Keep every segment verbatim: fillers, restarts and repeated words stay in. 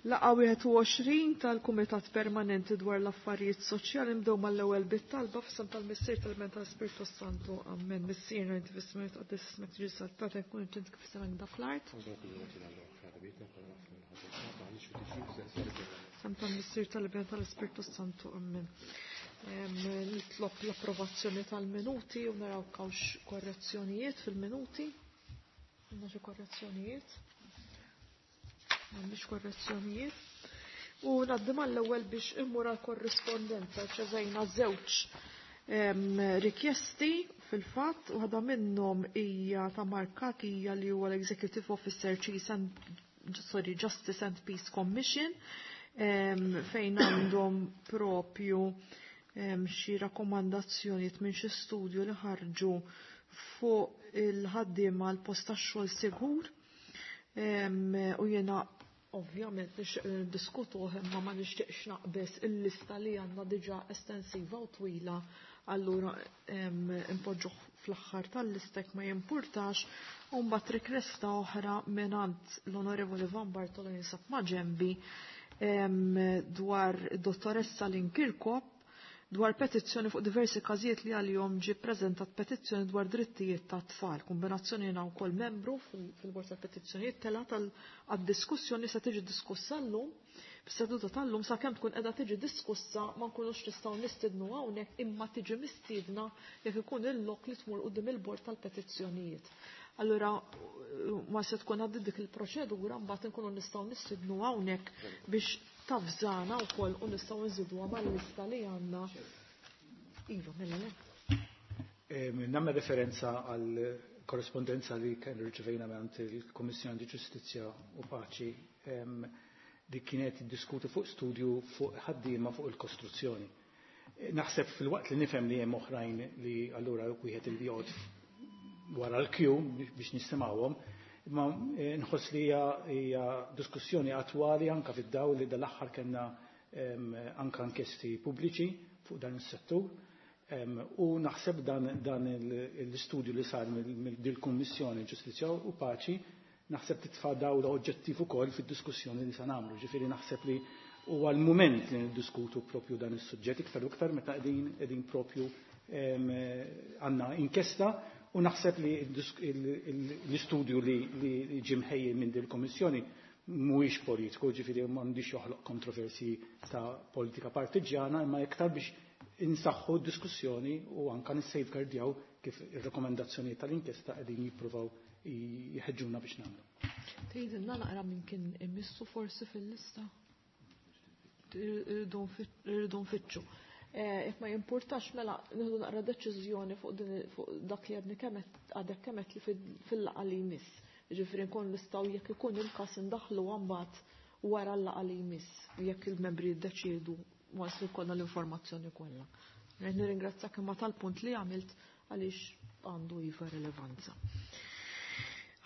Laqgħa wieħed u għoxrin tal-Kumitat Permanenti dwar l-Affarijiet Soċjali. Nibdew mal-ewwel bit-talba f'isem tal-Missier, tal-Iben, tal-Spiritu Santu. Amen. Missierna inti fis-smewwiet, tqaddes ismek, tiġi saltnatek, tkun int kif fis-sema fl-art. F'isem tal-Missier, tal-Iben, tal-Spiritu Santu. Amen. Nitlob l-approvazzjoni tal-minuti u naraw hawnx korrezzjonijiet fil-minuti. Għandna xi korrezzjonijiet? M'għandix korrezzjonijiet. U ngħaddi mal-ewwel biex immur għal korrispondenza. Rċevejna żewġ rikjesti fil-fatt, u waħda minnhom hija ta' Mark hija li huwa l-Executive Officer Chief and, sorry, Justice and Peace Commission, fejn għandhom propju xi rakkomandazzjonijiet minn xi studju li ħarġu fuq il-ħaddiema l post tax-xogħol sigur, u jiena ovvjament nixtieq imma ma nixtieqx naqbeż il-lista li għandna diġà estensiva u twila, allura impoġġuh fl-aħħar tal-lista ma jimpurtax. U mbagħad rikjesta oħra mingħand l-Onorevoli Van Bartolo, jinsab ma' ġembi, dwar dottoressa Lynn Kirkop, dwar petizzjoni fuq diversi każijiet li għalihom ġie preżentat petizzjoni dwar drittijiet ta' tfal. Kombinazzjoni jiena wkoll membru fil-bord tal-petizzjonijiet, tela għad-diskussjoni, se tiġi diskussa llum fis-seduta tal-lum. Sakemm tkun qiegħda tiġi diskussa ma nkunux nistgħu nistidnu hawnhekk, imma tiġi mistiedna jekk ikun il-lok li tmur quddiem il-bord tal-petizzjonijiet. Allura ma se tkun għaddi dik il-proċedura, mbagħad nkunu nistgħu nistidnu hawnhekk biex tavżana wkoll u nistgħu nżiduha mal-lista li għandna. Iva, mela le. Nagħmel referenza għal korrespondenza li kien rċevejna minn il-Kommissjoni di Ġustizzja u Paċi li kienet diskuti fuq studju fuq ħaddiema fuq il-kostruzzjoni. Naħseb fil-waqt li nifhem li hemm oħrajn li allura wieħed il joqgħod wara l-kju biex nisimgħuhom, imma eh, nħoss li hija diskussjoni attwali anka fid-dawl li dal-aħħar kellna anka inkjesti pubbliċi fuq dan is-settur. U naħseb dan, dan l-istudju li sar mill-Kummissjoni Ġustizzja u Paċi naħseb titfa' dawl oġġettiv ukoll fid-diskussjoni li se nagħmlu. Ġifieri naħseb li huwa l-mument li niddiskutu propju dan is-suġġett iktar u iktar meta qegħdin qegħdin propju għandna inkjesta, u naħseb li l-istudju li ġie mħejji minn din il-Kommissjoni mhuwiex politiku, ġifieri m'għandix joħloq kontroversi ta' politika partiġjana, imma iktar biex insaħħu diskussjoni u anka nissafeguardjaw kif ir-rekomendazzjoni tal-inkjesta qegħdin jippruvaw jħeġġuna biex nagħmlu. Tgħidilna naqra minn kien imissu forsi fil-lista? Irridu nfittxu. Jekk eh, ma jimpurtax, mela nieħdu naqra deċiżjoni fuq dak li għadni kemet għadek kemet li fil-laqgħa li jmiss. Ġifieri nkun nistgħu, jekk ikun il-każ, indaħlu mbagħad wara l-laqgħa li jmiss jekk il-membri jiddeċiedu once li jkollna l-informazzjoni kollha. Nirringrazzjak imma tal-punt li għamilt għaliex għandu iva relevanza.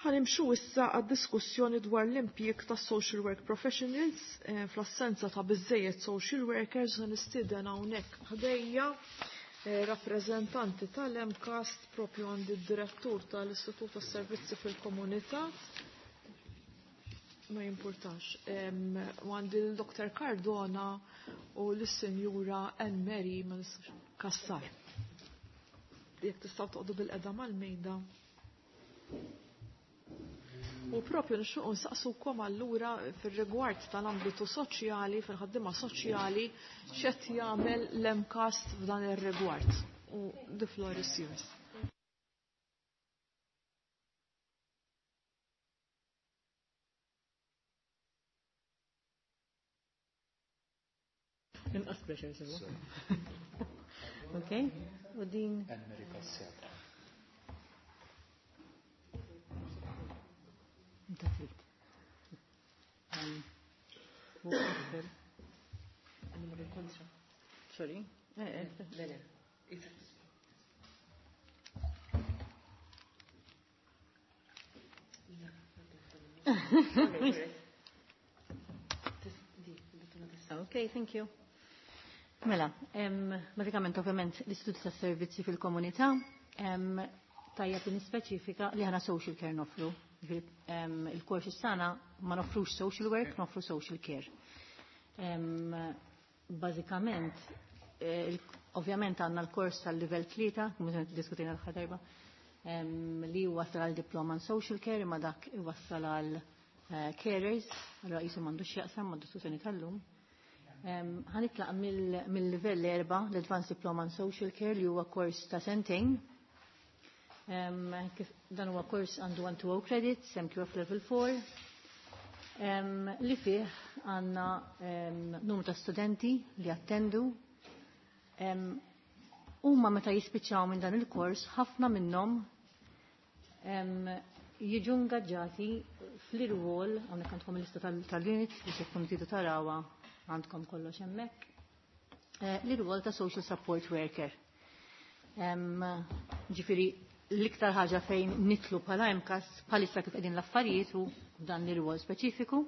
Ħa nimxu issa għad-diskussjoni dwar l-impjieg ta' social work professionals eh, fl-assenza ta' biżejjed social workers. Nistieden hawnhekk ħdejja eh, rappreżentanti tal-MCAST, propju għandi d-direttur tal-Istitut tas-Servizzi fil-Komunità, ma jimpurtax. U għandi l-Doktor Cardona u l-Sinjura Anne Mary Kassar. Jekk tistgħu toqgħodu bilqiegħda mal-mejda. U propju nixtiequ nsaqsukom allura fir-rigward tal-ambitu soċjali, fil-ħaddiema soċjali, x'qed jagħmel l-MCAST f'dan ir-rigward. U the floor is yours. Inqas pressure sewa. Okay, u din. Anne-Marie Kassar. Inta trid. Fuq isfel. Kontra. Sorry. Eh, eh. Le, le. Iva. Sorry. Okay, thank you. Mela, em, bażikament ovvjament l-Istitut tas Servizzi fil-Komunità, em, tajjeb li nispeċifika li aħna social care noffru. Il-kors tagħna ma nofrux social work, nofru social care. Bażikament, eh, ovvjament għandna l-kors tal-livell tlieta, kemm diskutina l-aħħar darba, li wassal għal diploma in social care, imma dak iwassal għal eh, carers, allora qisu m'għandux x'jaqsam mad-diskussjoni tal-lum. Ħa nitlaq mill-livell erba, l-Advanced Diploma in Social Care, li huwa kors ta' sentejn. Dan huwa kors għandu one two credits, M Q F Level four, li fih għandna numru ta' studenti li attendu. Huma meta jispiċċaw minn dan il-kors, ħafna minnhom jiġu ngaġġati fl-irwol, hawnhekk għandkom il-lista tal-units biex jekk tridu tarawha, għandkom kollox hemmhekk. Eh, l-irwol ta' social support worker. Ġifieri l-iktar ħaġa fejn nidħlu bħala M C A S bħalissa kif qegħdin l-affarijiet u dan l-irwol speċifiku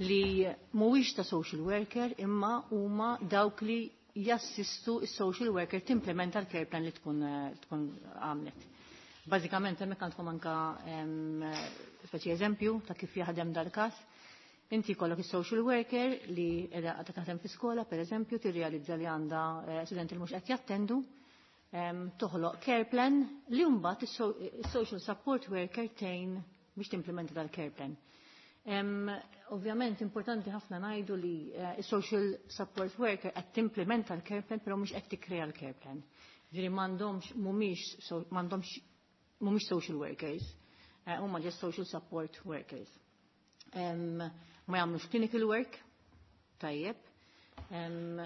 li mhuwiex ta' social worker, imma huma dawk li jassistu is-social worker timplementa l-care plan li tkun tkun għamlet. Bażikament hemmhekk għandkom anka speċi eżempju ta' kif jaħdem dal-każ. Inti jkollok is-social worker li qiegħda taħdem fi skola, per eżempju, tirrealizza li għandha eh, studenti li mhux qed jattendu, toħloq care plan li mbagħad is-social support worker tgħin biex timplementa dal-care plan. Um, ovvjament importanti ħafna ngħidu li uh, social support worker qed timplementa l-care plan, però mhux qed tikkrea l-care plan. Ġifieri m'għandhomx mhumiex so, m'għandhomx mhumiex social workers, uh, huma just social support workers. Um, ma jagħmlux clinical work, tajjeb, um,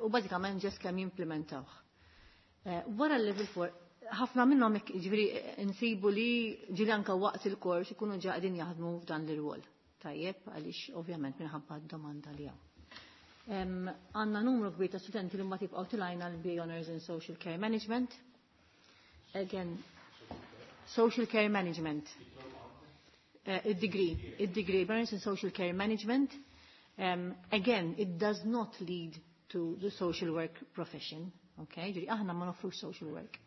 u bażikament just kemm jimplementawh. Uh, wara l-level four, ħafna minnhom ġifieri nsibu li ġieli anka waqt il-kors ikunu ġa qegħdin jaħdmu f'dan l-irwol. Tajjeb, għaliex ovvjament minħabba d-domanda li hawn. Għandna numru kbir ta' studenti li mbagħad jibqgħu tilajna l-B A Honors in Social Care Management. Again, Social Care Management. Uh, degree, degree Honors in Social Care Management. Um, again, it does not lead to the social work profession. Okay, ġifieri aħna ma nofrux social work.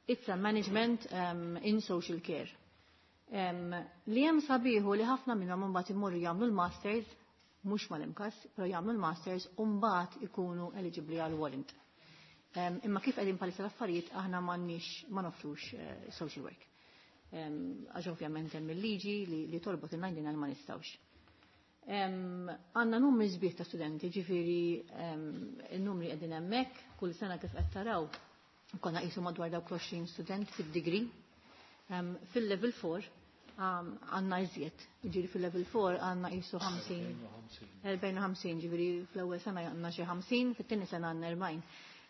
It's a management um, in social care. Um, li hemm sabiħu li ħafna minnhom mbagħad imorru jagħmlu l-masters, mhux mal-M C A S, però jagħmlu l-masters u mbagħad ikunu eligibbli għal warrant. Um, imma kif qegħdin bħalissa l-affarijiet, aħna m'għandniex, ma nofrux uh, social work. Għax um, ovvjament hemm il-liġi li, li torbot il-għandina ma nistgħux. Għandna numri sbieħ ta' studenti, ġifieri um, il-numri qegħdin hemmhekk, kull sena kif qed taraw konna qisu madwar dawk għoxrin student fid-degree. Um, fil-level four għandna iżjed, ġifieri fil-level four għandna qisu ħamsin. erbgħin u ħamsin, ġifieri fl-ewwel sena għandna xi ħamsin, fit-tieni sena għandna erbgħin.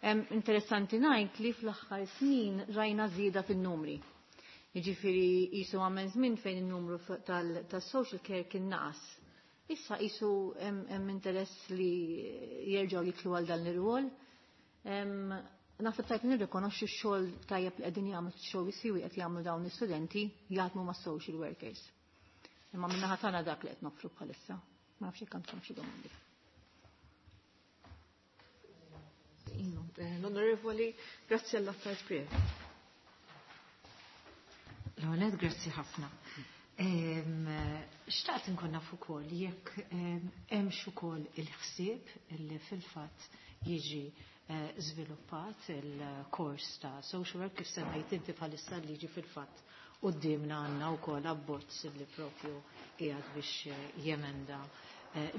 Um, interessanti ngħid li fl-aħħar snin rajna żieda fin-numri. Jiġifieri qisu għamel żmien fejn in-numru tal-social care kien naqas. Issa qisu hemm interess li jerġgħu jidħlu għal dan l-irwol. Naħseb tajb nirrikonoxxu x-xogħol tajjeb li qegħdin jagħmlu, xogħol siwi qed jagħmlu dawn l-istudenti jaħdmu ma' social workers. Imma min-naħa tagħna dak li qed noffru bħalissa. Ma nafx jekk għandkom xi domandi. L-Onorevoli Graziella Attard Previ. L-għonet, grazzi ħafna. Xtaqt nkun naf ukoll jekk hemmx ukoll il-ħsieb li fil-fatt jiġi żviluppat il-kors ta' social work kif semmejt inti. Bħalissa liġi fil-fatt qudiemna għandna wkoll abbozz li propju qiegħed biex jemenda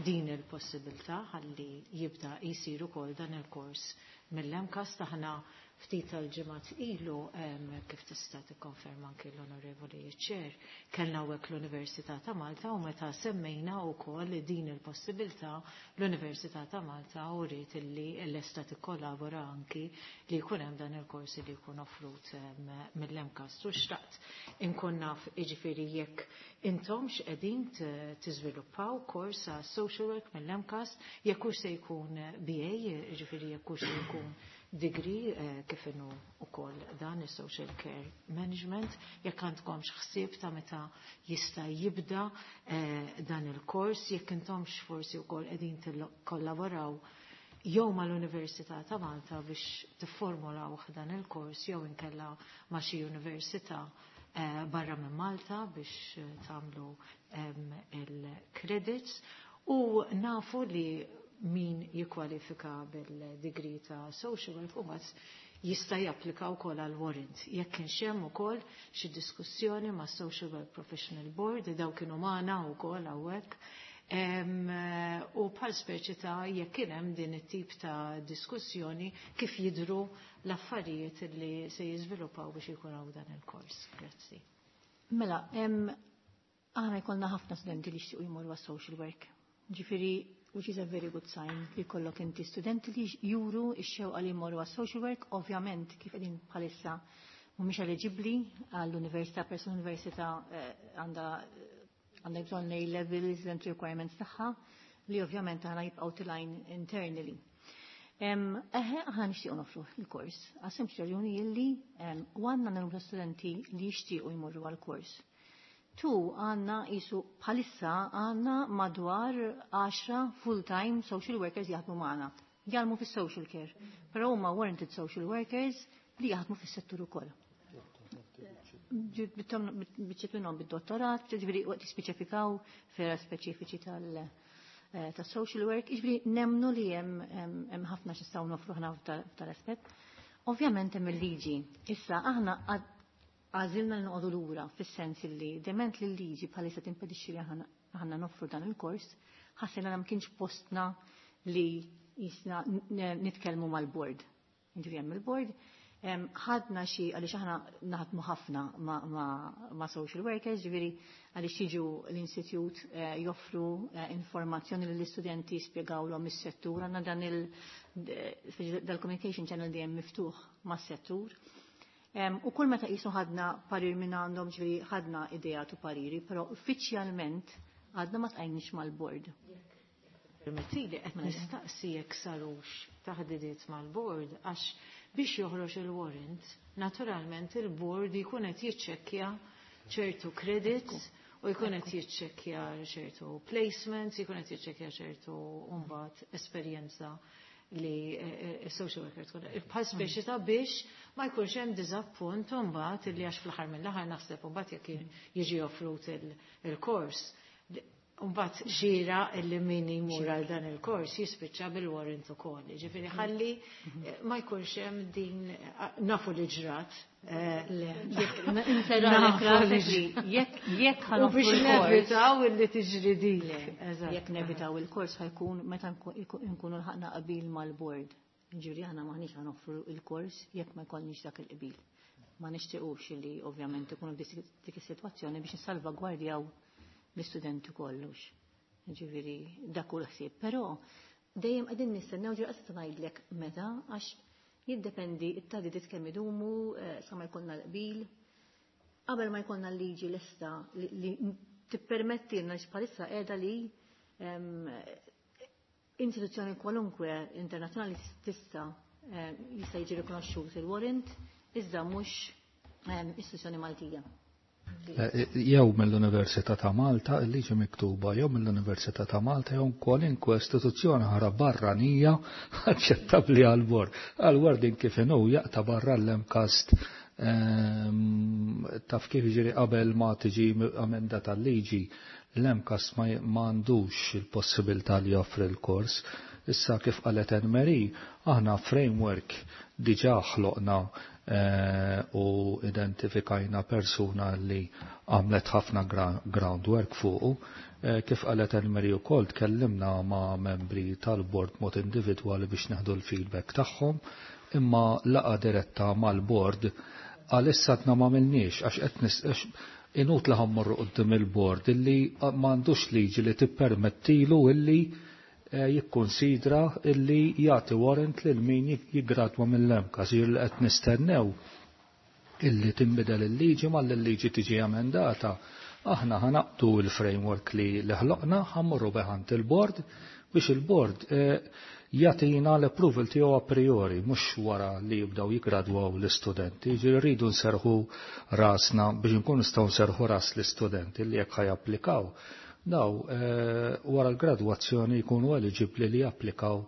din il-possibilità ħalli jibda jisir ukoll dan il-kors mill-M C A S. Taħna ftit tal-ġimgħat ilu, kif tista' tikkonferma anki l-Onorevoli Chair, kellna hawnhekk l-Università ta' Malta u meta semmejna wkoll din il-possibilità, l-Università ta' Malta uriet illi lesta tikkollabora anki li jkun hemm dan il-korsi li jkun offrut mill-M C A S. U xtaqt inkun naf jiġifieri jekk intom x'qegħdin tiżviluppaw kors ta' social work mill-M C A S, jekk hux se jkun B A, jiġifieri jekk hux se jkun degree eh, kif inhu ukoll dan is-social care management, jekk għandkomx ħsieb ta' meta jista' jibda eh, dan il-kors, jekk intomx forsi wkoll qegħdin tikkollaboraw jew mal-Università ta' Malta biex tifformulaw dan il-kors jew inkella ma' xi università. eh, barra minn Malta biex eh, tagħmlu il-credits u nafu li min jikkwalifika bil-degree ta' social work u jista' japplika wkoll għal warrant. Jekk kienx hemm ukoll xi diskussjoni ma' Social Work Professional Board, daw kienu magħna wkoll hawnhekk. U bħal speċi ta' jekk kien hemm din it-tip ta' diskussjoni kif jidru l-affarijiet li se jiżviluppaw biex ikun hawn dan il-kors. Grazzi. Mela, aħna jkollna ħafna studenti li jixtiequ jmorru għas-social work. Ġifieri which is a very good sign li kollok inti studenti li juru x-xewqa li jmorru għas-social work, ovvjament kif qegħdin bħalissa mhumiex eligibbli għall-università, peress l-università eh, għandha għandha bżonn A levels and requirements tagħha li ovvjament aħna jibqgħu tilgħin internally. Eħe, aħna nixtiequ nofru il-kors, għas-sempliċi raġuni illi u għandna numru studenti li jixtiequ jmorru għal-kors. Tu għandna jisu bħalissa għandna madwar għaxra full-time social workers jaħdmu magħna. Jaħdmu fis-social care, però huma warranted social workers li jaħdmu fis-settur ukoll. Biċċiet minnhom bid-dottorat, ġifieri waqt jispeċifikaw fergħa speċifiċi tal- eh, ta' social work, ġifieri nemmnu li hemm ħafna x'nistgħu nofru ħna f'tal-aspett. Ovvjament hemm il-liġi. Issa aħna għażilna li noqogħdu lura fis-sens li dement li l-liġi bħalissa timpedixxi li aħna noffru dan il-kors, ħassejna li ma kienx postna li jisna nitkellmu mal-board. Ġifieri hemm il-board, ħadna xi għaliex aħna naħdmu ħafna ma', ma, ma social workers, ġifieri għaliex jiġu l-istitut eh, joffru eh, informazzjoni lill-istudenti jispjegawlhom is-settur, għandna dan il dal-communication channel dejjem miftuħ mas-settur. U kull meta qisu ħadna parir minn għandhom, ġifieri ħadna idea tu pariri, però uffiċjalment għadna ma ltqajniex mal-board. Permettili qed nistaqsi jekk sarux taħdidiet mal-board għax biex joħroġ il-warrant, naturalment il-board jkun qed jiċċekkja ċertu credits u jkun qed jiċċekkja ċertu placements, jkun qed jiċċekkja ċertu mbagħad esperjenza li social worker tkun. Bħal speċi ta' biex ma jkunx hemm diżappunt mbagħad illi għax fl-aħħar mill-aħħar naħseb mbagħad jekk jiġi offrut il-kors. Mbagħad xira illi min jmur għal dan il-kors jispiċċa bil-warrant ukoll. Ġifieri ħalli ma jkunx hemm din nafu li ġrat. Jekk U biex nevitaw illi tiġri din. Jekk nevitaw il-kors ħa jkun meta nkunu lħaqna qabil mal-board. Ġifieri aħna maħniex ħa noffru il-kors jekk ma jkollniex dak il-qbil. Ma nixtiequx li ovvjament ikunu dik is-sitwazzjoni biex nissalvagwardjaw l-istudenti kollux. Ġifieri dak hu l-ħsieb. Però dejjem qegħdin nistennew ġifieri qas ngħidlek meta għax jiddependi it-taħdidiet kemm idumu sa ma jkollna l-qbil. Qabel ma jkollna l-liġi lesta li tippermettilna bħalissa qiegħda li istituzzjoni kwalunkwe internazzjonali tista' jista' jiġi rikonoxxut il-warrant iżda mhux istituzzjoni Maltija. Jew mill-Università ta' Malta, il-liġi miktuba, jew mill-Università ta' Malta, jew kwalinkwe istituzzjoni oħra barranija aċċettabbli għal-bord. Għal-wording kif inhu jaqta' barra l-MCAST taf kif jiġri qabel ma tiġi amenda tal-liġi, l-MCAST ma għandux il-possibilità li joffri l-kors. Issa kif qalet Anne-Marie, aħna framework diġà ħloqna u identifikajna persuna li għamlet ħafna groundwork fuqu. Kif qalet Anne-Marie ukoll tkellimna ma' membri tal-board mod individwali biex neħdu l-feedback tagħhom, imma laqgħa diretta mal-board għalissa għadna ma għamilniex għax qed inut li ħa mmorru quddiem il-board illi m'għandux liġi li tippermettilu illi jikkonsidra illi jagħti warrant lil min jiggradwa mill-MCAST. Li qed nistennew illi tinbidel il-liġi mal il-liġi tiġi emendata. Aħna ħa naqbdu il-framework li ħloqna, ħa mmorru bih għand il-board biex il-board jagħtina l-approval tiegħu a priori, mhux wara li jibdew jiggradwaw l-istudenti. Ġifieri rridu nserħu rasna biex nkunu nistgħu nserħu ras l-istudenti li jekk ħa japplikaw. Daw wara l-gradwazzjoni jkunu eligibli li japplikaw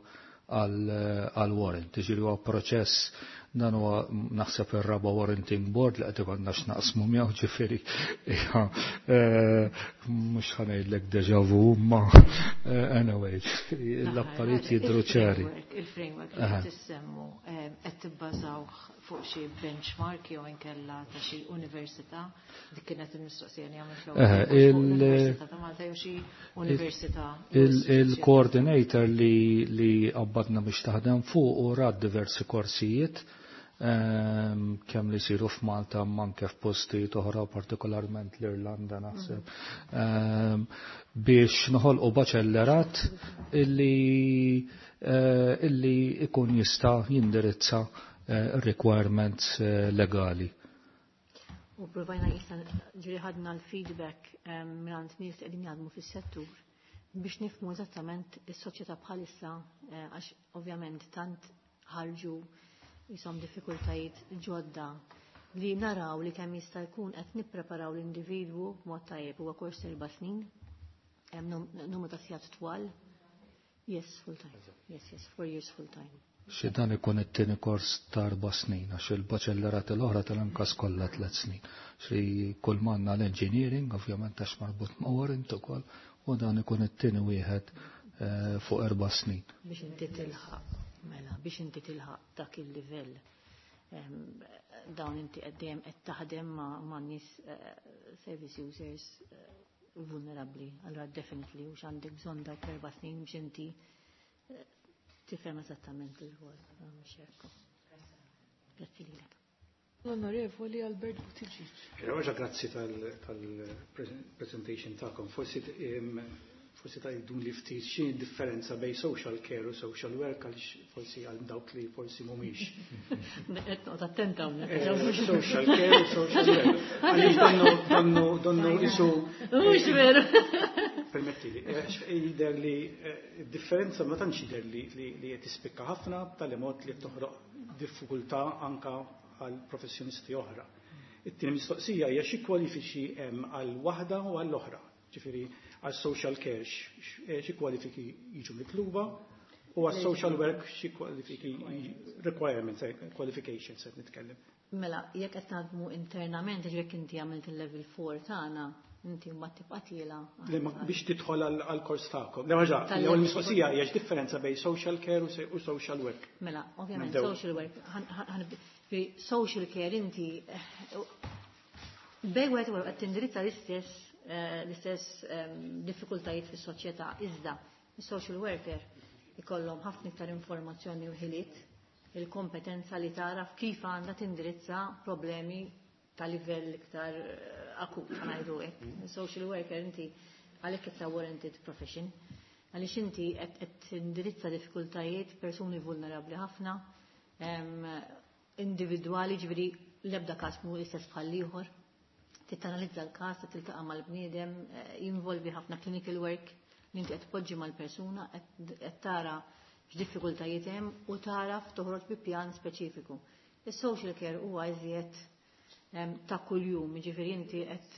għal warrant. Ġifieri huwa proċess Dan huwa naħseb ir-raba' warranting board li qed ikollna x'naqsmu miegħu, ġifieri mhux ħa ngħidlek deja vu, ma anyway, l-affarijiet jidhru ċari. Il-framework li qed issemmu qed tibbażawh fuq xi benchmark jew inkella ta' xi università? Dik kienet il-mistoqsija li għamilt l-ewwel. Università ta' Malta jew xi università? Il-coordinator li li qabbadna biex taħdem fuq u rat diversi korsijiet kemm li jsiru f'Malta anke f'postijiet oħra, partikolarment l-Irlanda naħseb, biex noħolqu baċellerat illi illi ikun jista' jindirizza requirements legali. U provajna jista' ġiri ħadna l-feedback mingħand nies li qegħdin jaħdmu fis-settur biex nifhmu eżattament is-soċjetà bħalissa, għax ovvjament tant ħarġu jisom diffikultajiet ġodda li naraw li kemm jista' jkun qed nippreparaw l-individwu b'mod tajjeb. Huwa kors erba' snin, hemm numru ta' sigħat twal. Yes, full time. Yes, yes, four years full time. Xi dan ikun it-tieni kors ta' erba' snin, għax il-baċellerat l-oħra tal-ankas kollha tliet snin. Xi kull m'għandna l-engineering, ovvjament għax marbut ma' warrant ukoll, u dan ikun it-tieni wieħed fuq erba' snin. Biex inti tilħaq, mela, biex inti tilħaq dak il-livell, dawn inti qed dejjem qed taħdem ma' nies service users vulnerabbli. Allura definitely u x'għandek bżonn dawk erba' snin biex inti tifhem eżattament il-rwol. Mhux hekk. Grazzi lilek. L-Onorevoli Albert Buttigieg. Roġa, grazzi tal-presentation tagħkom. Forsi forsi tgħidun li ftit x'inhi differenza bejn social care u social work, għaliex forsi għal dawk li forsi mhumiex. Qed noqgħod attenta hawnhekk. Social care u social work. Għaliex donnu donnu donnu isu. Mhux veru. Permettili, jidher li differenza ma tantx jidher li li qed tispikka ħafna b'tali mod li toħroq diffikultà anka għal professjonisti oħra. It-tieni mistoqsija hija xi kwalifiċi hemm għal waħda u għall oħra. Ġifieri għal social care xi kwalifiki jiġu mitluba u għal social work xi kwalifiki requirements, qualifications qed nitkellem. Mela, jekk qed naħdmu internament, jekk inti għamilt il-level four tagħna, inti mbagħad tibqa' tiela. Biex tidħol għall-kors tagħkom. Le ħaġa, l-ewwel mistoqsija hija x'differenza bejn social care u social work. Mela, ovvjament social work, social care inti bejn wieħed u qed tindirizza l-istess l-istess diffikultajiet fis-soċjetà, iżda is-social worker ikollhom ħafna iktar informazzjoni u ħiliet, il-kompetenza li taraf kif għandha tindirizza problemi ta' livell iktar akut, ngħidu hekk. Social worker inti għalhekk it's a warranted profession, għaliex inti qed tindirizza diffikultajiet persuni vulnerabbli ħafna, individwali, ġifieri l-ebda każ mhu l-istess bħal ieħor. Tittanalizza l-każ, tiltaqa' mal-bniedem, jinvolvi ħafna clinical work li inti qed tpoġġi mal-persuna, qed tara x'diffikultajiet hemm u taraf toħroġ bi pjan speċifiku. Is-social care huwa iżjed ta' kuljum, jiġifieri inti qed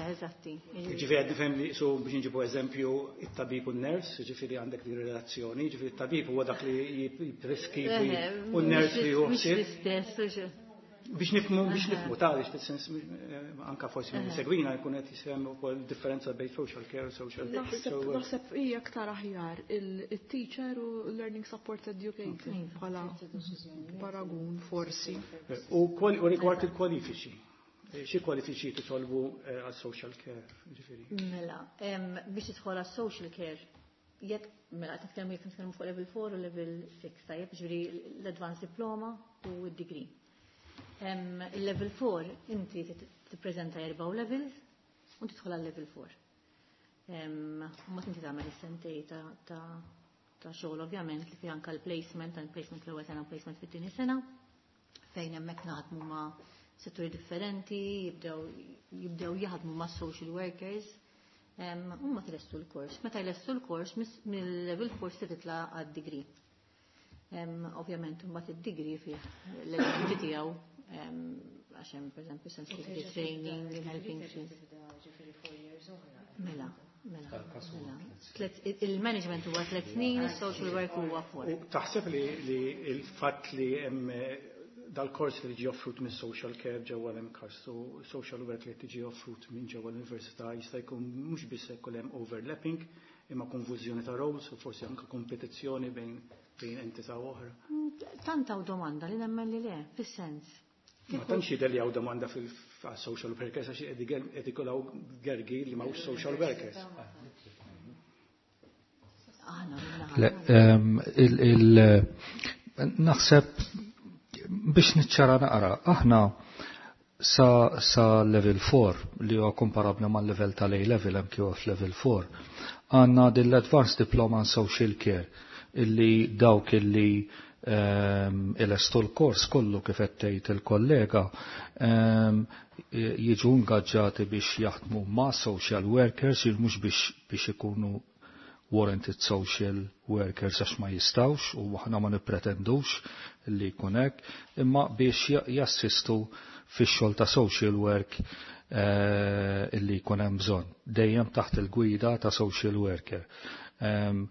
eżatti. Jiġifieri qed nifhem li su biex nġibu eżempju it-tabib u n-ners, jiġifieri għandek din relazzjoni, jiġifieri it-tabib huwa dak li jippreskrivi u n-ners li hu ħsieb. Biex nifhmu, biex nifhmu, ta' biex fis-sens anka forsi minn segwina jkun qed jisem ukoll differenza bejn social care u social work. Naħseb hija aktar aħjar il-teacher u learning support educator bħala paragun forsi. U rigward il-kwalifiċi. Xi kwalifiċi titolbu għal social care, ġifieri? Mela, biex tidħol għal social care, jekk mela qed nitkellmu jekk nitkellmu fuq level four u level six, tajjeb, ġifieri l-advanced diploma u d-degree. Il-level four inti tippreżenta erba' levels u tidħol għal level four. U ma inti tagħmel is-sentej ta' ta' xogħol ovvjament li fi anke l-placement, għal placement l-ewwel sena u placement fit-tieni sena, fejn hemmhekk naħdmu ma' setturi differenti, jibdew jibdew jaħdmu ma' social workers, u ma tlestu l-kors. Meta jlestu l-kors mill-level four se titla' għad-degree. Ovvjament mbagħad id-degree fih l-elementi tiegħu għax hemm pereżempju sensitivity training, helping. Mela, mela. Il-management huwa tliet snin, is-social work huwa four. Taħseb li l-fatt li hemm Dal-kors li ġi offrut minn social care ġewwa l-MCAST u social work li tiġi offrut minn ġewwa l-università jista' jkun mhux biss jkun hemm overlapping imma konfużjoni ta' roles u forsi anke kompetizzjoni bejn bejn entità oħra. Tant hawn domanda li nemmen li le, fis-sens. Ma tantx jidher li hawn domanda fil-social workers għax qed ikollaw gergi li m'hawnx social workers. Le, ehm, il, il, naħseb biex niċċara naqra, aħna sa, sa level four li huwa komparabbli mal level tal-A level hemm kif level four, għandna din l-Advanced Diploma in Social Care illi dawk illi um, ilestu l-kors kollu kif qed tgħid il-kollega um, jiġu ingaġġati biex jaħdmu ma' social workers, mhux biex biex ikunu warranted social workers għax ma jistawx u aħna ma nippretendux li jkun hekk, imma biex jassistu fix-xogħol ta' social work eh, illi jkun hemm bżonn, dejjem taħt il-gwida ta' social worker. Um,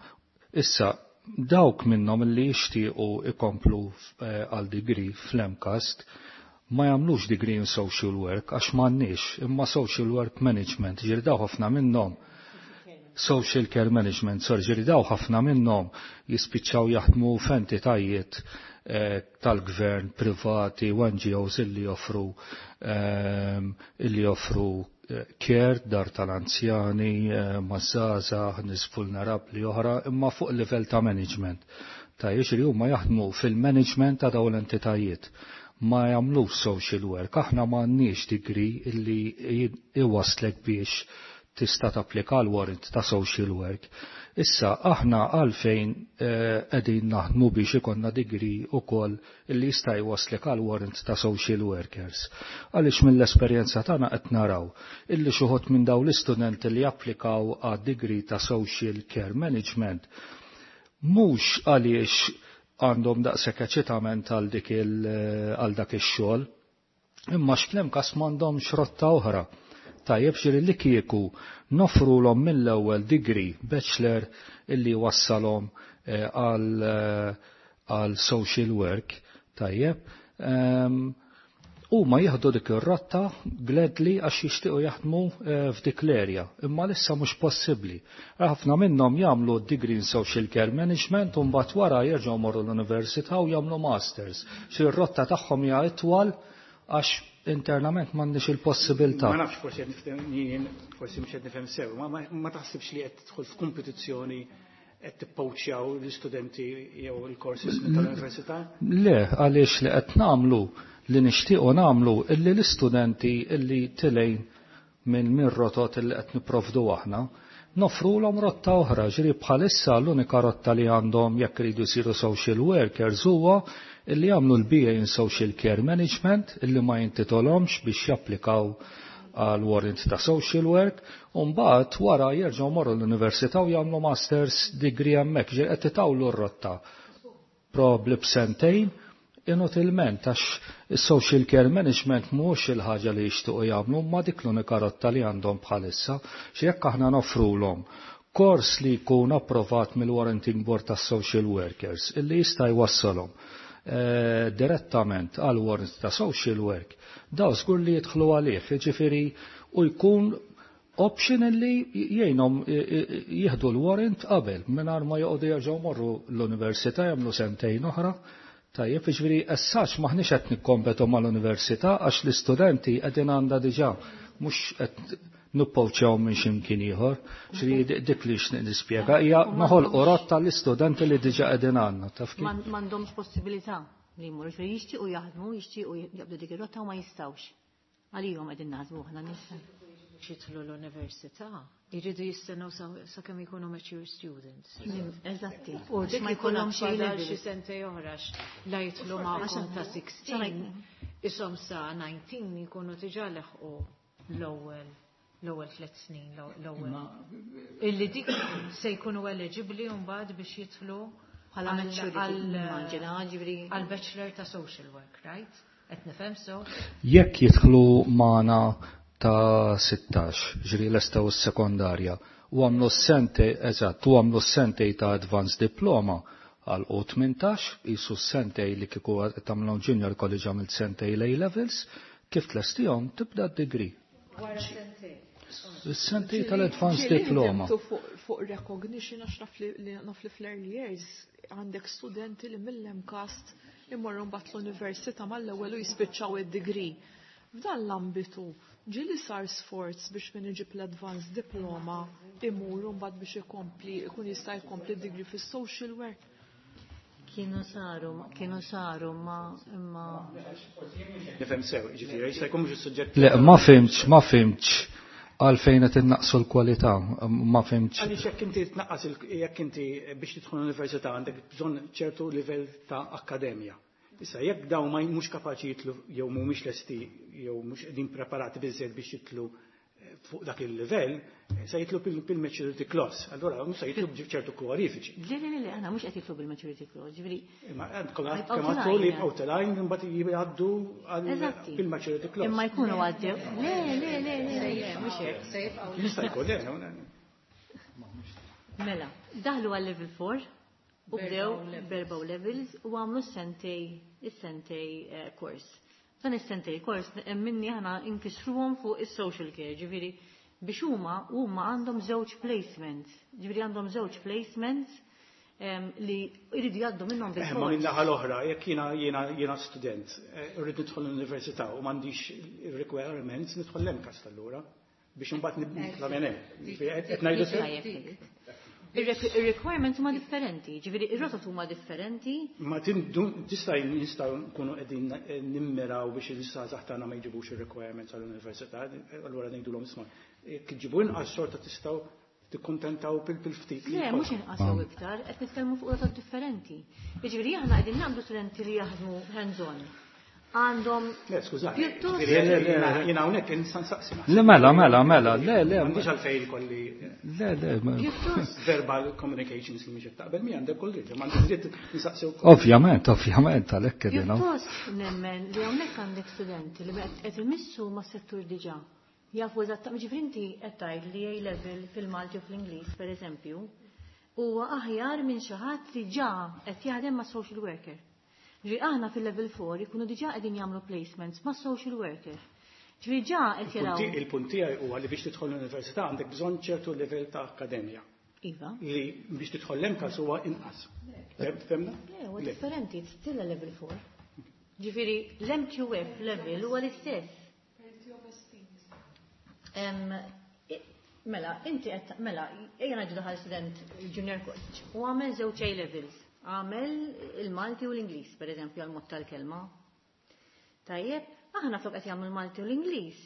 issa, dawk minnhom li jixtiequ ikomplu eh, għal degree fl-MCAST ma jagħmlux degree in social work għax m'għandniex, imma social work management, ġieli daw ħafna minnhom social care management, sorry, ġieli daw ħafna minnhom jispiċċaw jaħdmu f'entitajiet eh, tal-gvern, privati, u N G Os illi joffru eh, illi joffru eh, care, dar tal-anzjani, eh, maż-żgħażagħ, nies vulnerabbli oħra, imma fuq livell ta' management. Ta' jiġri huma jaħdmu fil-management ta' dawn l-entitajiet. Ma jagħmlux social work, aħna m'għandniex degree illi iwaslek biex tista' tapplika l-warrant ta' social work. Issa aħna għalfejn qegħdin naħdmu biex ikollna degree ukoll illi jista' jwaslek għal warrant ta' social workers. Għaliex mill-esperjenza tagħna qed naraw illi xi wħud minn dawn l-istudenti li japplikaw għad degree ta' social care management mhux għaliex għandhom daqshekk eċitament għal dik għal dak ix-xogħol, imma fl-MCAST m'għandhomx rotta oħra. Tajjeb, ġieli li kieku noffrulhom mill-ewwel degree bachelor illi wassalhom għal għal social work, tajjeb, huma jieħdu dik ir-rotta gladly għax jixtiequ jaħdmu f'dik l-area, imma lissa mhux possibbli. Ħafna minnhom jagħmlu degree in social care management u mbagħad wara jerġgħu morru l-università u jagħmlu masters. Xi r-rotta tagħhom hija itwal għax internament m'għandniex il-possibilità. Ma nafx, forsi qed nifhem, forsi mhux qed nifhem sew, ma ma taħsibx li qed tidħol f'kompetizzjoni, qed tippoċjaw l-istudenti jew il-courses tal-università? Le, għaliex li qed nagħmlu, li nixtiequ nagħmlu, illi l-istudenti illi tilejn minn minn rotot illi qed nipprovdu aħna, noffrulhom rotta oħra. Ġieli bħalissa l-unika rotta li għandhom jekk iridu jsiru social workers huwa illi jagħmlu l-B A in Social Care Management illi ma jintitolhomx biex japplikaw għal warrant ta' social work, u mbagħad wara jerġgħu morru l-università u jagħmlu masters degree hemmhekk, ġieli qed titawlu r-rotta probably b'sentejn inutilment għax is-social care management mhux il-ħaġa li jixtiequ jagħmlu, ma dik l-unika rotta li għandhom bħalissa. Xi jekk aħna noffrulhom kors li jkun approvat mill-Warranting Board tas Social Workers illi jista' jwassalhom eh, direttament għal warrant ta' social work, daw żgur li jidħlu għalih, jiġifieri u jkun option li jgħinhom jieħdu l-warrant qabel mingħajr ma joqogħdu jerġgħu morru l-università jagħmlu sentejn oħra. Tajjeb, jiġifieri essax maħniex qed nikkompetu mal-università għax l-istudenti qegħdin għandha diġà, mhux qed nippoċjaw minn x'imkien ieħor. Ġifieri dik li xtaqt nispjega hija noħolqu rotta l-istudenti li diġà qegħdin għandna, taf kif? M'għandhomx possibilità li jmorru, ġifieri jixtiequ jaħdmu, jixtiequ jaqbdu dik ir-rotta u ma jistgħux. Għalihom qegħdin naħdmu aħna nisa. Jidħlu l-università, jridu jistennew sakemm ikunu mature students. Eżatti. U dik ma jkollhom xi xi xi sentej oħra la jidħlu magħkom ta' sittax, isom sa tmintax jkunu diġà leħqu l-ewwel l-ewwel tliet snin, l-ewwel. Illi dik se jkunu eligibbli mbagħad biex jidħlu bħala maturity, immaġina, ġifieri. Għal bachelor ta' social work, right? Qed nifhem so? Jekk jidħlu magħna ta' sittax, ġieli lestew s-sekondarja, u għamlu s-sentejn, eżatt, u għamlu s-sentejn ta' advanced diploma, għal U tmintax, jisu sentej li kieku tagħmlhom junior college għamilt sentej A levels, kif tlestihom tibda d-degree. Wara sentej. Is-sentej tal-advanced diploma. Fuq recognition għax naf li fl-early years għandek studenti li mill-MCAST imorru mbagħad l-università mal-ewwel u jispiċċaw id-degree. F'dan l-ambitu ġieli sar sforz biex min iġib l-advanced diploma imur mbagħad biex ikompli ikun jista' jkompli d-degree fis-social work. Kienu saru, kienu saru ma imma. Nifhem sew, ġifieri jista' jkun mhux is-suġġett. Le, ma fhimtx, ma fhimtx għalfejn qed innaqsu l-kwalità, ma fhimtx. Għaliex jekk inti tnaqqas jekk inti biex tidħol l-università għandek bżonn ċertu livell ta' akkademja. Issa jekk dawn ma mhux kapaċi jitlu jew mhumiex lesti jew mhux qegħdin preparati biżżejjed biex jitlu fuq dak il-livell, se jitlu bil-maturity clause. Allura mhux se jitlu b'ċertu kwalifiċi. Le, le, le, aħna mhux qed jitlu bil-maturity clause, ġifieri. Imma kemm għadtu li jibqgħu telgħin imbagħad jgħaddu bil-maturity clause. Imma jkunu għaddew. Le, le, le, le, mhux hekk. Jista' jkun le. Mela, daħlu għal level four u bdew b'erba' levels u għamlu s-sentej is-sentej course. Dan is-sentej kors minni aħna inkisruhom fuq is-social care, ġifieri biex huma huma għandhom żewġ placements, ġifieri għandhom żewġ placements li jridu jgħaddu minnhom bil Ma minn naħa l-oħra, jekk jiena jiena jiena student, irrid nidħol l-università u m'għandix requirements nidħol l-MCAST allura biex imbagħad nitla' minn hemm. Qed ngħidu sew? Il-requirements huma differenti, ġifieri ir-rotot huma differenti. Ma tista' nistgħu nkunu qegħdin nimmiraw biex il-żgħażagħ tagħna ma jġibux ir-requirements għall-università, allura ngħidulhom isma' jekk iġibu inqas xorta tistgħu tikkuntentaw bil-ftit. Le, mhux inqas jew iktar, qed nitkellmu fuq rotot differenti. Jiġifieri aħna qegħdin nagħmlu studenti li jaħdmu hands-on. Għandhom. Le, skużani. Jiena hawnhekk insa nsaqsi. Le, mela, mela, mela, le, le. M'għandix għalfejn kolli. Le, le. Verbal communications li mhix taqbel mi għandek kull dritt, m'għandix dritt nsaqsi wkoll. Ovvjament, ovvjament, għalhekk qegħdin. Pjuttost nemmen li hawnhekk għandek studenti li qed imissu mas-settur diġà. Jafu eżattament, ġifieri inti qed tgħid li A level fil-Malti u fl-Ingliż, pereżempju, huwa aħjar minn xi ħadd li ġa qed jaħdem ma' social worker. Ġifieri aħna fil-level four ikunu diġà qegħdin jagħmlu placements ma' social worker. Ġifieri ġa qed jaraw. Il-punt tiegħi huwa li biex tidħol l-università għandek bżonn ċertu livell ta' akkademja. Iva. Li biex tidħol l-MCAST huwa inqas. Femna? Le, huwa differenti, it's still a level four. Ġifieri l-M Q F level huwa l-istess. Mela, inti qed mela, ejja ngħidu daħal student junior college u għamel żewġ A levels. Għamel il-Malti u l-Ingliż, per eżempju, għal mod tal-kelma. Tajjeb, aħna flok qed jagħmlu l-Malti u l-Ingliż,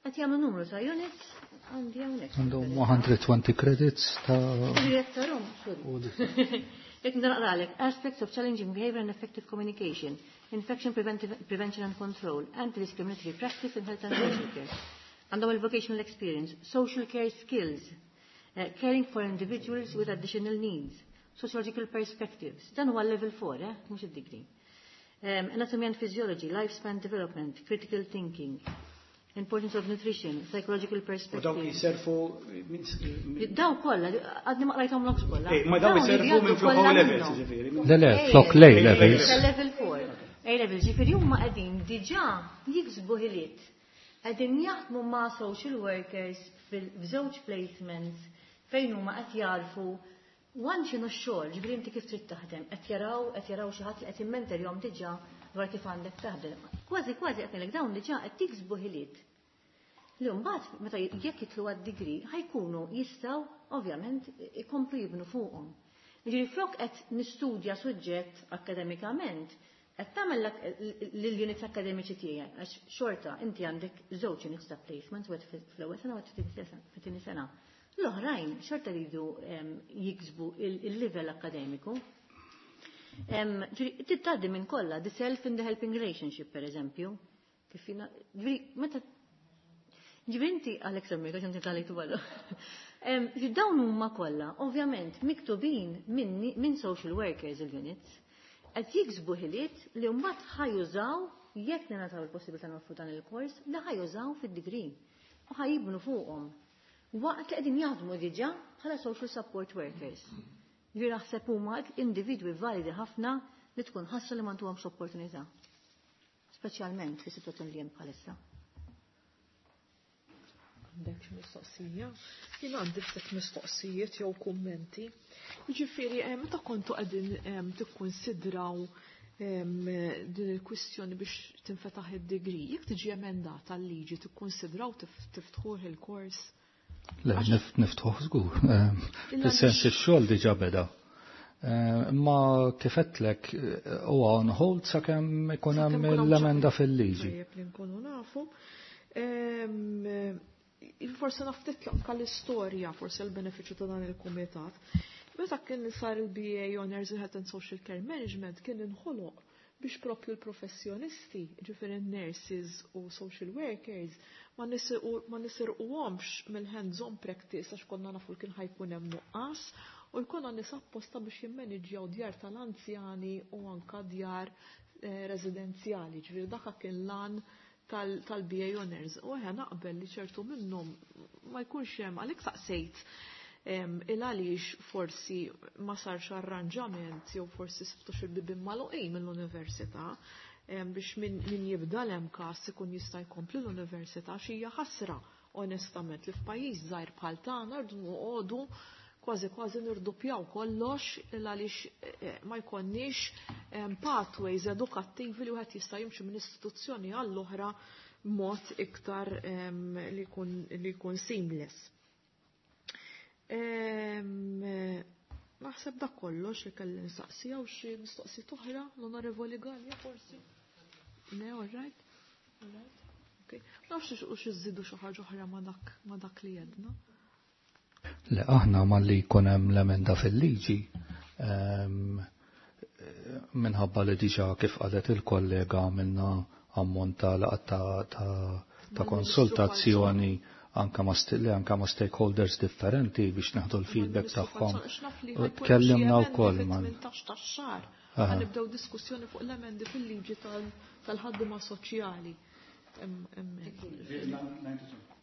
qed jagħmlu numru ta' units għandi hawnhekk. Għandhom one hundred twenty credits ta' Jekk naqralek, aspects of challenging behavior and effective communication, infection prevention and control, anti-discriminatory practice in health and social care. Għandhom il-vocational experience, social care skills, uh, caring for individuals with additional needs, sociological perspectives. Dan huwa level four, eh? Mhux id-degree. Um, anatomy and physiology, lifespan development, critical thinking, importance of nutrition, psychological perspectives. U dawk jiserfu. Daw kollha, għadni ma qrajthom l kollha. Ma daw jiserfu minn flok O levels, ġifieri. Le, le, flok A levels. Level four. A levels, ġifieri huma qegħdin diġà jiksbu ħiliet. Qegħdin jaħdmu ma' social workers f'żewġ placements fejn huma qed jarfu wan x'inhu x-xogħol, ġifieri inti kif trid taħdem, qed jaraw qed jaraw xi ħadd li qed jimmenterjhom diġà dwar kif għandek taħdem. Kważi kważi qed ngħidlek dawn diġà qed tiksbu ħiliet. Li mbagħad meta jekk jitlu għad-degree ħa jkunu jistgħu ovvjament ikomplu jibnu fuqhom. Ġifieri flok qed nistudja suġġett akademikament, qed tagħmel lill-units akademiċi tiegħek għax xorta inti għandek żewġ units ta' placement, wieħed fl-ewwel sena u fit-tieni sena. L-oħrajn xorta jridu jiksbu il-level akademiku. Tgħaddi minn kollha, the self in the helping relationship, per eżempju. Kif ġifieri, meta ġifieri inti għalek semmi, għax inti tal ballu. Dawn huma kollha, ovvjament, miktubin minn social workers il-units, qed jiksbu ħiliet li mbagħad ħa jużaw jekk ningħataw il-possibilità noffru dan il-kors, li ħa jużaw fid-degree u ħa jibnu fuqhom. Waqt li qegħdin jaħdmu diġà bħala social support workers. Ġifieri naħseb huma individwi validi ħafna li tkun ħassa li m'għandhomx opportunità. Speċjalment fis-sitwazzjoni li hemm bħalissa. Għandek xi mistoqsija? Jien għandi ftit mistoqsijiet jew kummenti. Jiġifieri eh, meta kontu qegħdin eh, tikkunsidraw em, din il-kwistjoni biex tinfetaħ id-degree, jekk tiġi emendata l-liġi tikkunsidraw tif- tiftħuh il-kors? Le, nif- niftħuh żgur. Eh, Fis-sens ix-xogħol diġà beda. Eh, Imma kif għedtlek eh, huwa on hold sakemm ikun hemm Sakemm ikun hawn l-emenda ċ- fil-liġi. Tajjeb li nkunu nafu. Em, Forse naf titlaq anka l-istorja, forse l-benefiċċju ta' dan il-kumitat. Meta kien sar il-B A Honors in Health and Social Care Management, kien inħoloq biex propju l-professjonisti, ġifieri nurses u social workers, ma nisirqu- ma nisirquhomx mill-hands-on practice, għax konna nafu li kien ħa jkun hemm nuqqas u jkollna nies apposta biex jimmaniġjaw djar tal-anzjani u anka djar eh, residenzjali. Ġifieri dak kien l-għan tal-B A Honors. U eħe, naqbel li ċertu minnhom ma jkunx hemm, għalhekk saqsejt em, il għaliex forsi ma sarx arranġament jew forsi sibtux il-bibien magħluqin mill-università em, biex min, min jibda l-MCAST ikun jista' jkompli l-università, x'hija ħasra onestament li f'pajjiż żgħir bħal tagħna rridu noqogħdu kważi kważi nirdupjaw kollox għaliex eh, ma jkollniex em, pathways edukattivi li wieħed jista' jimxi minn istituzzjoni għall-oħra mod iktar em, li jkun li jkun seamless. Em, eh, Naħseb dak kollox li kelli nistaqsi. Jew xi mistoqsijiet oħra, l-Onorevoli Gallia forsi? Le, all right? All right? Okay. Nafx u xi żidu xi ħaġa oħra ma dak ma dak li jedna. Le, aħna malli jkun hemm l-emenda fil-liġi, em, minħabba li diġà, kif qalet il-kollega, għamilna ammont ta' laqgħat ta', ta, ta konsultazzjoni anka ma' st- li anka ma' stakeholders differenti biex naħdu l-feedback tagħhom. U tkellimna wkoll mal tmintax tax-xahar. Aha. Ħa nibdew diskussjoni fuq l-emendi fil-liġi tal- tal-ħaddiema soċjali. Em- em-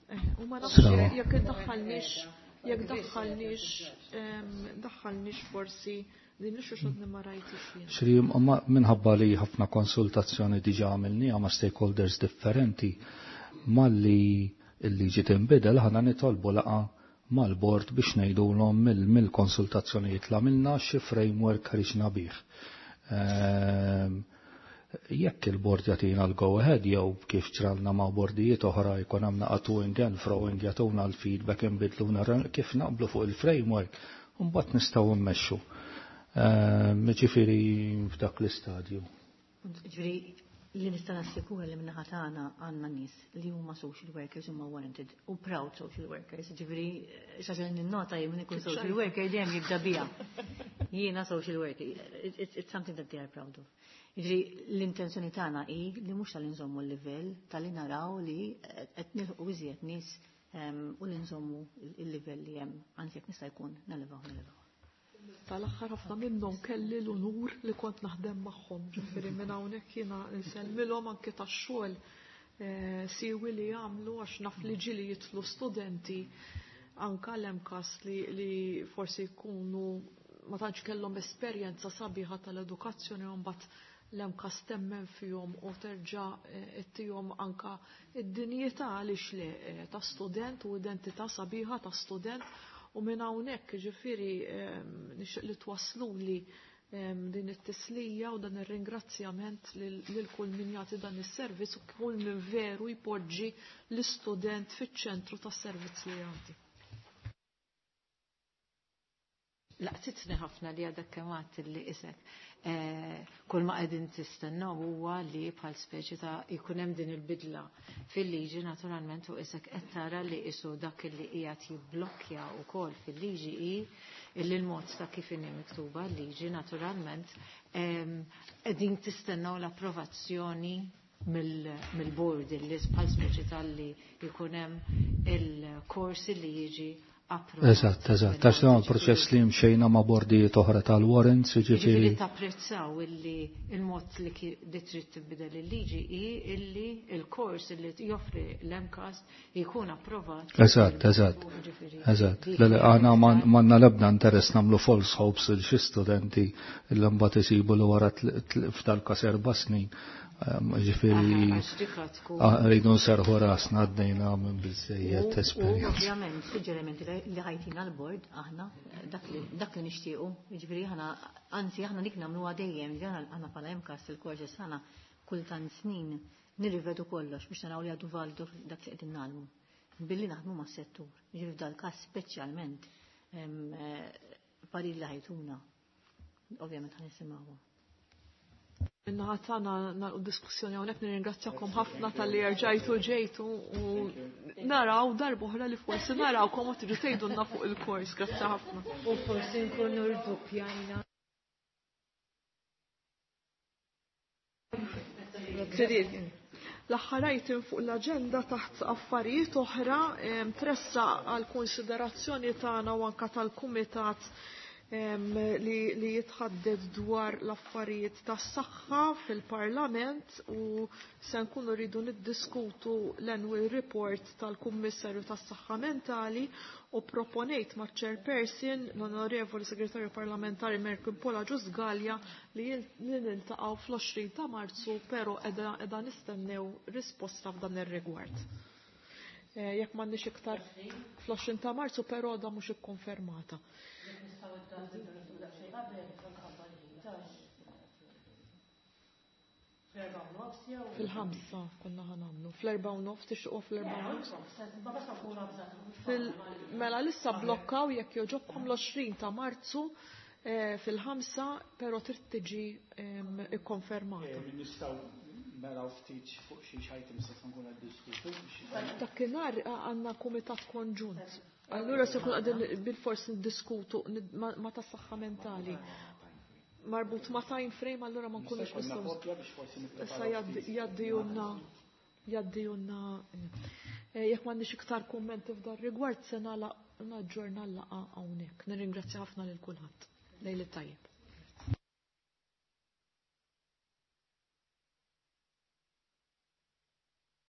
Eh, U ma nafx Sewwa. jekk iddaħħalniex jekk daħħalniex em, daħħalniex forsi din li xi ma rajtix jien. Xri, ma minħabba li ħafna konsultazzjoni diġa għamilniha ma' stakeholders differenti, malli il-liġi tinbidel ħana nitolbu laqgħa mal-bord biex ngħidulhom mill- mill-konsultazzjonijiet li għamilna xi framework ħriġna bih. Ehm, Jekk il-bord jagħtina l-go ahead jew kif ġralna ma' bordijiet oħra jkun hemm naqgħa to and fro, jagħtuna l-feedback, inbidluna kif naqblu fuq il-framework, u mbagħad nistgħu mmexxu. Ehm, Ġifieri f'dak l-istadju. Ġifieri li nista' nassikura li min-naħa tagħna għandna nies li huma social workers, huma warranted u proud social workers. Ġifieri xi ħaġa li ninnota jien, min ikun social worker dejjem jibda biha. Jiena social worker. It's, it's something that they are proud of. Ġifieri l-intenzjoni tagħna hi li mhux tal nżommu l-livell, tal-li naraw li qed nilħqu iżjed nies em, u li nżommu il-livell li hemm, anzi jekk nista' jkun nelevaw nelevaw. Tal-aħħar ħafna minnhom kelli l-unur li kont naħdem magħhom. Ġifieri minn hawnhekk jiena nsellmilhom anke tax-xogħol eh, siwi li jagħmlu, għax naf li ġieli jidħlu studenti anka l-MCAST li, li forsi jkunu ma tantx kellhom esperjenza sabiħa tal-edukazzjoni, u mbagħad l-MCAST temmen fihom u terġa' eh, ittihom anka id-dinjità, għaliex le, eh, ta' student u identità sabiħa ta' student. U minn hawnhekk ġifieri ehm, nixtieq li twasluli ehm, din it-tislija u dan ir-ringrazzjament lil lil kull min jagħti dan is-servizz u kull min veru jpoġġi l-istudent fiċ-ċentru tas-servizz li jagħti. Laqtitni ħafna li għadek kemm għedt li isek. Eh, kull ma qegħdin tistennew huwa li bħal speċi ta' jkun hemm din il-bidla fil-liġi naturalment, u isek qed tara li isu dak li qiegħed jibblokkja wkoll fil-liġi hi illi l-mod ta' kif inhi miktuba l-liġi naturalment em, qegħdin tistennew l-approvazzjoni mill-board illi bħal speċi tal-li jkun hemm il-korsi li jiġi approvat. Eżatt, eżatt. Għax dan proċess li mxejna ma' bordijiet oħra tal-warrants, Ġifieri jiġifieri. Tapprezzaw illi il-mod li ki- li trid tibdel il-liġi hi illi il-kors illi joffri l-M CAST jkun approvat. Eżatt, eżatt. Ġifieri, Eżatt. dik Le, le, aħna m'għandna l-ebda interess nagħmlu false hopes il xi studenti illi mbagħad isibu li wara tl- tl- f'dal-każ erba' snin. Ehm, Ġifieri Aha, għax dik tkun- ah, rridu nserħu rasna, għaddejna minn biżejjed U esperjenza. ovvjament suġġerimenti li li ħa jtina l-bord aħna dak li dak li nixtiequ, jiġifieri aħna, anzi, aħna dik nagħmluha dejjem, ġifieri aħna aħna bħala M CAST il-courses aħna kull tant snin nirrivedu kollox biex naraw li għadu validu dak li qegħdin nagħmlu. Billi naħdmu mas-settur. Jiġifieri f'dal każ speċjalment em, eh, parir li ħa jtuna. Ovvjament ħa nisimgħuha. Min-naħa tagħna nagħlqu diskussjoni hawnhekk. Nirringrazzjakom ħafna talli rġajtu ġejtu u naraw darb'oħra li forsi narawkom u tiġu tgħidulna fuq il-kors. Grazzi ħafna. U forsi nkunu rduppjajna. L-aħħar item fuq l-aġenda taħt affarijiet oħra em, tressaq għal konsiderazzjoni tagħna u anka tal-kumitat em, li, li jitħaddet dwar l-affarijiet tas-saħħa fil-Parlament u se nkunu rridu niddiskutu l-annual report tal-Kummissarju tas-Saħħa Mentali u proponejt ma' chairperson l-Onorevoli Segretarju Parlamentari Merklin Paul Agius Galea li jil- li niltaqgħu fl-għoxrin ta' Marzu, però qiegħda qiegħda nistennew risposta f'dan ir-rigward. Eh, Jekk m'għandniex iktar fl-għoxrin ta' Marzu, però da mhux ikkonfermata. Fil-ħamsa konna ħa nagħmlu. Fl-erbgħa u nofs, tixtiequ fl-erbgħa u nofs? Fil mela issa blokkaw jekk jogħġobkom l-għoxrin ta' Marzu eh, fil-ħamsa, però trid tiġi em, ikkonfermata. Eh, Nistgħu naraw ftit fuq xi items se nkunu niddiskutu biex Dakinhar għandna kumitat konġunt. Allura se kun qegħdin bil-fors niddiskutu nid- ma ma tas-saħħa mentali. Marbut ma' time frame, allura ma nkunux Nista' jkollna nistgħu. kopja biex forsi Issa nippreparaw ftit. jaddijunna jaddijunna eh, jekk m'għandniex iktar kummenti f'dan rigward se nagħlaq naġġorna l-laqgħa hawnhekk. Nirringrazzja ħafna lil kulħadd. Lejl it-tajjeb.